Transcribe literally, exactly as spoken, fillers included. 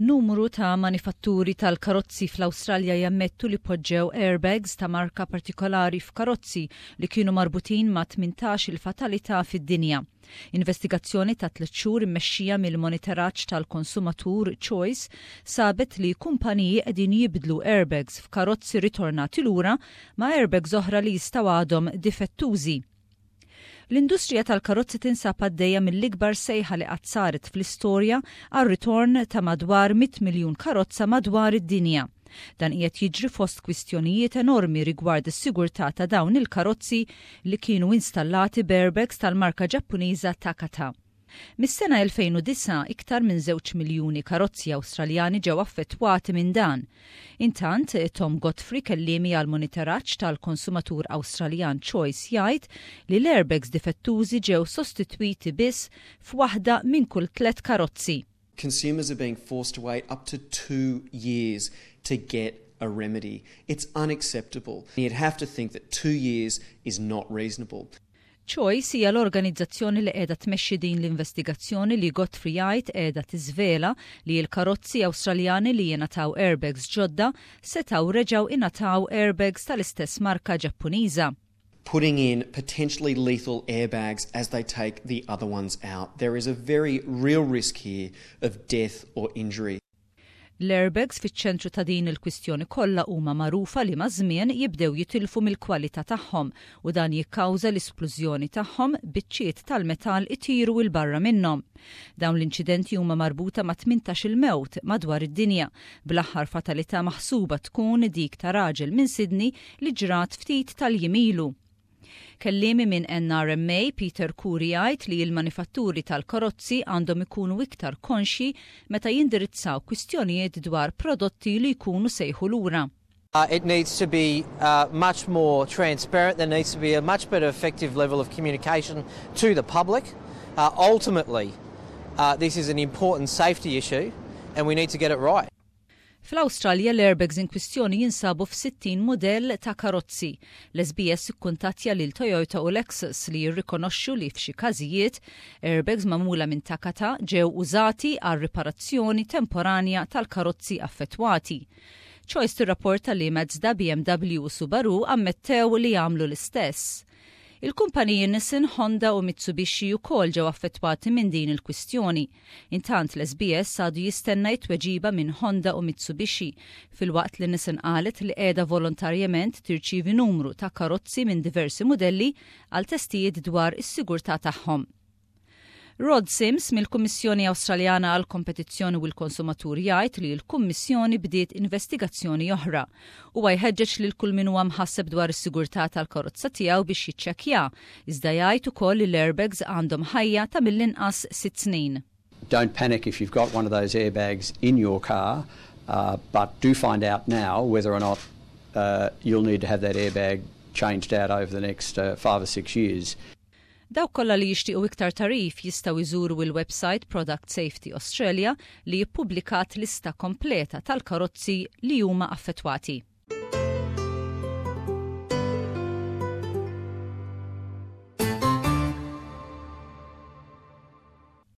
Numru ta' manifatturi tal-karozzi fl-Awstralja jammettu li poġġew airbags ta' marka partikolari f'karozzi li kienu marbutin ma' tmintax il fatalità fid-dinja. Investigazzjoni ta' tliet xhur immexxija mill-monitoraġġ tal-konsumatur Choice sabet li kumpaniji qegħdin jibdlu airbags f'karozzi ritornati lura ma' airbags oħra li jistgħu għadhom difettużi. L-industrija tal-karozzi tinsab għaddejja mill-ikbar sejħa li qatt saret fl-istorja għal ritorn ta' madwar mitt miljun karozza madwar id-dinja. Dan qiegħed jiġri fost kwistjonijiet enormi rigward is-sigurtà ta' dawn il-karozzi li kienu installati b'airbags tal-marka Ġappuniża Takata. Mis-sena elfejn u disgħa, iktar minn żewġ miljuni karozzi Awstraljani ġew affettwati minn dan. Intant, Tom Godfrey, kelliemi għal monitoraġġ tal-konsumatur Awstraljan Choice, jgħid li l-airbags difettużi ġew sostitwiti biss f'waħda minn kull tliet karozzi. Consumers are being forced to wait up to two years to get a remedy. It's unacceptable. You'd have to think that two years is not reasonable. Choice hija l-organizzazzjoni li qiegħda tmexxi din l-investigazzjoni li Godfrey jgħid qiegħda tiżvela li l-karozzi Awstraljani li jingħataw airbags ġodda setgħu reġgħu ingħataw airbags tal-istess marka Ġappuniża. Putting in potentially lethal airbags as they take the other ones out. There is a very real risk here of death or injury. L-airbags fiċ-ċentru ta' din il-kwistjoni kollha huma magħrufa li maż-żmien jibdew jitilfu mill-kwalità tagħhom u dan jikkawża l-isplużjoni tagħhom, biċċiet tal-metall itiru 'l barra minnhom. Dawn l-inċidenti huma marbuta ma' tmintax-il mewt madwar id-dinja, bl-aħħar fatalità maħsuba tkun dik ta' raġel minn Sydney li ġrat ftit tal-jiem ilu. Kelliemi minn N R M A Peter Curry jgħid li l-manifatturi tal-karozzi għandhom ikunu iktar konxi meta jindirizzaw kwistjonijiet dwar prodotti li jkunu sejħu lura. Uh, it needs to be uh, much more transparent. There needs to be a much better effective level of communication to the public. Uh, ultimately, uh, this is an important safety issue and we need to get it right. Fl-Awstralja, l-airbags in kwistjoni jinsabu f'sittin modell ta' karozzi. L-S B S ikkuntattja lil Toyota u Lexus li jirrikonoxxu li f'xi każijiet airbags magħmula minn Takata ġew użati għal riparazzjoni temporanja tal-karozzi affettwati. Choice tirrapporta li Mazda, B M W u Subaru ammettew li jagħmlu l-istess. Il-kumpaniji Nissan, Honda u Mitsubishi wkoll ġew affettwati minn din il-kwistjoni. Intant, l-S B S għadu jistenna tweġiba minn Honda u Mitsubishi, filwaqt li Nissan qalet li qiegħda volontarjament tirċivi numru ta' karozzi minn diversi modelli għal testijiet dwar is-sigurtà tagħhom. Rod Sims mill-Kummissjoni Awstraljana għal Kompetizzjoni u l-Konsumatur jgħid li l-Kummissjoni bdiet investigazzjoni oħra. Huwa jħeġġeġ lil kull min huwa mħasseb dwar is-sigurtà tal-karozza tiegħu biex jiċċekkja, iżda jgħid ukoll li l-airbags għandhom ħajja ta' mill-inqas sitt snin. Don't panic if you've got one of those airbags in your car, uh, but do find out now whether or not uh, you'll need to have that airbag changed out over the next uh, five or six years. Dawk kollha li jixtiequ iktar tagħrif jistgħu jżuru il-website Product Safety Australia li jippubblikat lista kompleta tal-karozzi li huma affettwati.